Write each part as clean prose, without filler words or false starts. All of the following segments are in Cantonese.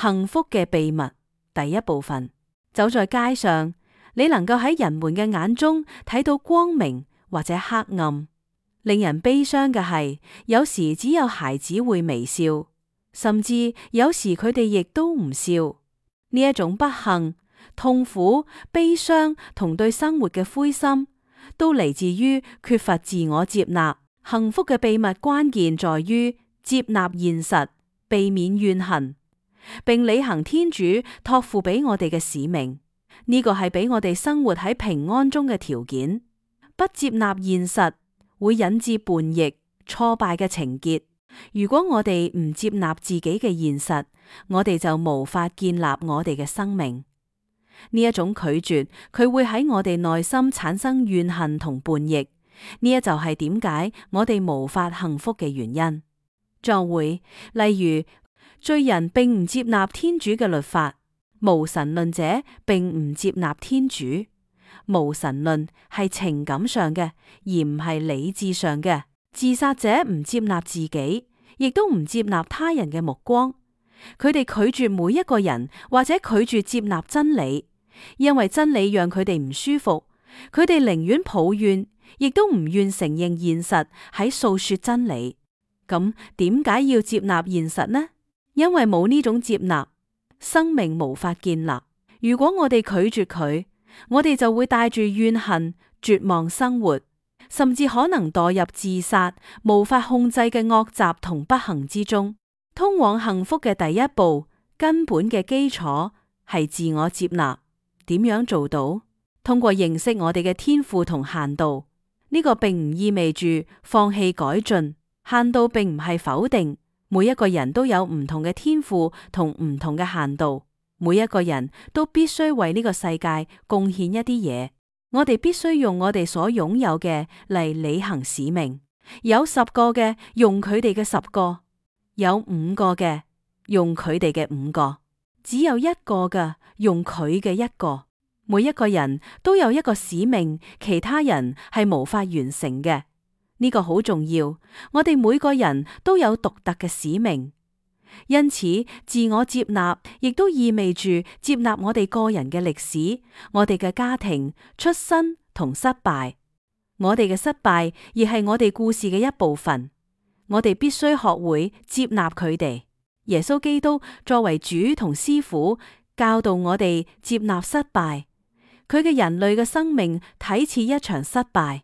幸福嘅秘密第一部分。走在街上，你能夠喺人們嘅眼中睇到光明或者黑暗。令人悲傷嘅係，有時只有孩子會微笑，甚至有時佢哋亦都唔笑。呢一種不幸、痛苦、悲傷同對生活嘅灰心，都嚟自於缺乏自我接納。幸福嘅秘密關鍵在於接納現實，避免怨恨，並履行天主託付俾我哋嘅使命。呢個係俾我哋生活喺平安中嘅條件。不接納現實會引致叛逆、挫敗嘅情結。如果我哋唔接納自己嘅現實，我哋就無法建立我哋嘅生命。呢一種拒絕，佢會喺我哋內心產生怨恨同叛逆。呢一就係點解我哋無法幸福嘅原因。作會，例如罪人並唔接納天主嘅律法，無神論者並唔接納天主。無神論係情感上嘅，而唔係理智上嘅。自殺者唔接納自己，亦都唔接納他人嘅目光。佢哋拒絕每一個人，或者拒絕接納真理，因為真理讓佢哋唔舒服。佢哋寧願抱怨，亦都唔願承認現實喺訴說真理。咁點解要接納現實呢？因為冇呢種接納，生命無法建立。如果我哋拒絕佢，我哋就會帶住怨恨、絕望生活，甚至可能墮入自殺、無法控制嘅惡習同不幸之中。通往幸福嘅第一步，根本嘅基礎係自我接納。點樣做到？通過認識我哋嘅天賦同限度。呢個並唔意味住放棄改進。限度並唔係否定，每一個人都有唔同嘅天賦同唔同嘅限度。每一個人都必須為呢個世界貢獻一啲嘢。我哋必須用我哋所擁有嘅嚟履行使命。有10個嘅，用佢哋嘅10個；有5個嘅，用佢哋嘅5個；只有1個嘅，用佢嘅1個。每一個人都有一個使命，其他人係無法完成嘅。呢個好重要。我哋每個人都有獨特嘅使命。因此，自我接納亦都意味住接納我哋個人嘅歷史、我哋嘅家庭、出身同失敗。我哋嘅失敗亦係我哋故事嘅一部分。我哋必須學會接納佢哋。耶穌基督作為主同師傅，教導我哋接納失敗。佢嘅人類嘅生命睇似一場失敗。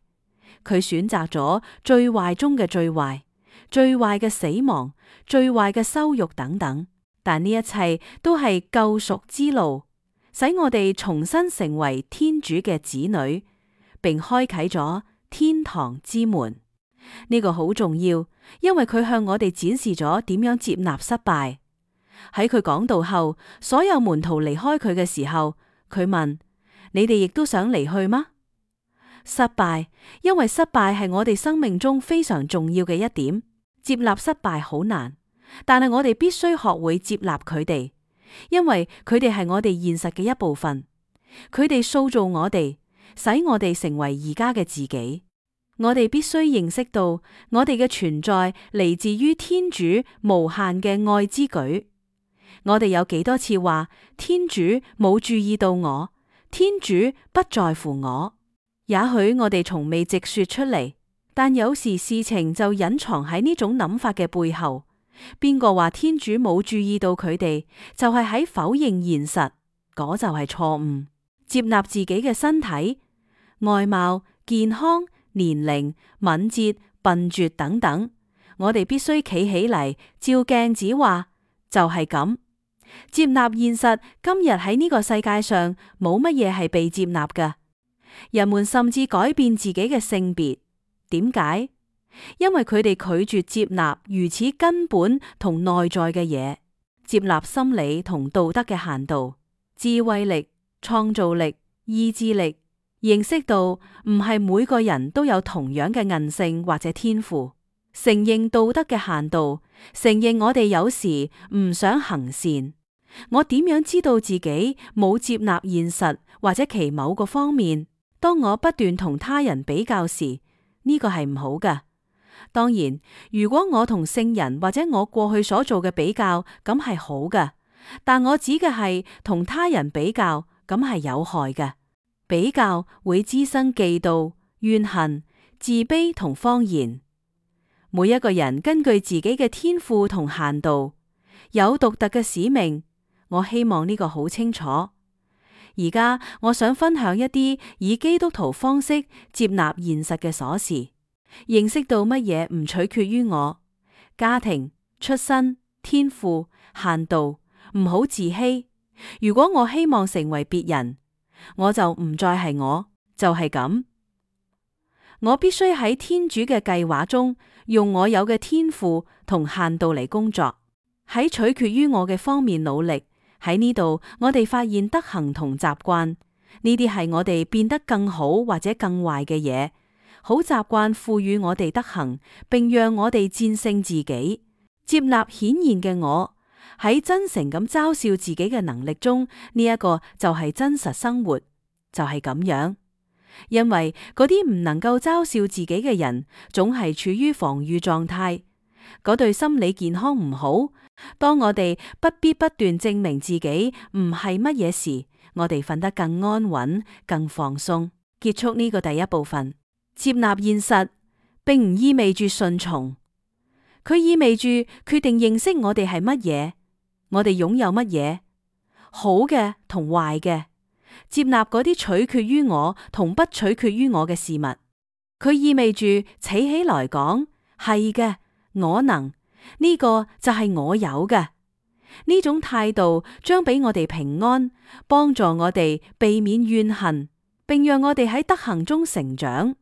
佢選擇咗最壞中嘅最壞，最壞嘅死亡，最壞嘅羞辱等等，但呢一切都係救贖之路，使我哋重新成為天主嘅子女，並開啟咗天堂之門。呢個好重要，因為佢向我哋展示咗點樣接納失敗。喺佢講道後，所有門徒離開佢嘅時候，佢問：你哋亦都想離去嗎？失敗，因為失敗係我哋生命中非常重要嘅一點。接納失敗好難，但係我哋必須學會接納佢哋，因為佢哋係我哋現實嘅一部分。佢哋塑造我哋，使我哋成為而家嘅自己。我哋必須認識到，我哋嘅存在嚟自於天主無限嘅愛之舉。我哋有幾多次話天主冇注意到我，天主不在乎我？也許我哋從未直說出嚟，但有時事情就隱藏喺呢種諗法嘅背後。邊個話天主冇注意到佢哋，就係喺否認現實，嗰就係錯誤。接納自己嘅身體、外貌、健康、年齡、敏捷、笨拙等等，我哋必須企起嚟，照鏡子話就係咁。接納現實，今日喺呢個世界上冇乜嘢係被接納嘅。人們甚至改變自己嘅性別，點解？因為佢哋拒絕接納如此根本同內在嘅嘢，接納心理同道德嘅限度、智慧力、創造力、意志力，認識到唔係每個人都有同樣嘅韌性或者天賦，承認道德嘅限度，承認我哋有時唔想行善。我點樣知道自己冇接納現實或者其某個方面？當我不斷同他人比較時，呢個係唔好嘅。當然，如果我同聖人或者我過去所做嘅比較，咁係好嘅。但我指嘅係同他人比較，咁係有害嘅。比較會滋生嫉妒、怨恨、自卑同謊言。每一個人根據自己嘅天賦同限度，有獨特嘅使命。我希望呢個好清楚。而家我想分享一啲以基督徒方式接納現實嘅瑣事，認識到乜嘢唔取決於我，家庭、出身、天賦、限度，唔好自欺。如果我希望成為別人，我就唔再係我，就係咁。我必須喺天主嘅計劃中，用我有嘅天賦同限度嚟工作，喺取決於我嘅方面努力。喺呢度，我哋發現德行同習慣，呢啲係我哋變得更好或者更壞嘅嘢。好習慣賦予我哋德行，並讓我哋戰勝自己，接納顯現嘅我，喺真誠咁嘲笑自己嘅能力中，呢一個就係真實生活，就係咁樣。因為嗰啲唔能夠嘲笑自己嘅人，總係處於防禦狀態，嗰對心理健康唔好。當我哋不必不斷證明自己唔係乜嘢時，我哋瞓得更安穩、更放鬆。結束呢個第一部分，接納現實，並唔意味住順從，佢意味住決定認識我哋係乜嘢，我哋擁有乜嘢，好嘅同壞嘅，接納嗰啲取決於我同不取決於我嘅事物。佢意味住企起來講，係嘅，我能。呢個就係我有嘅。呢種態度將俾我哋平安，幫助我哋避免怨恨，並讓我哋喺德行中成長。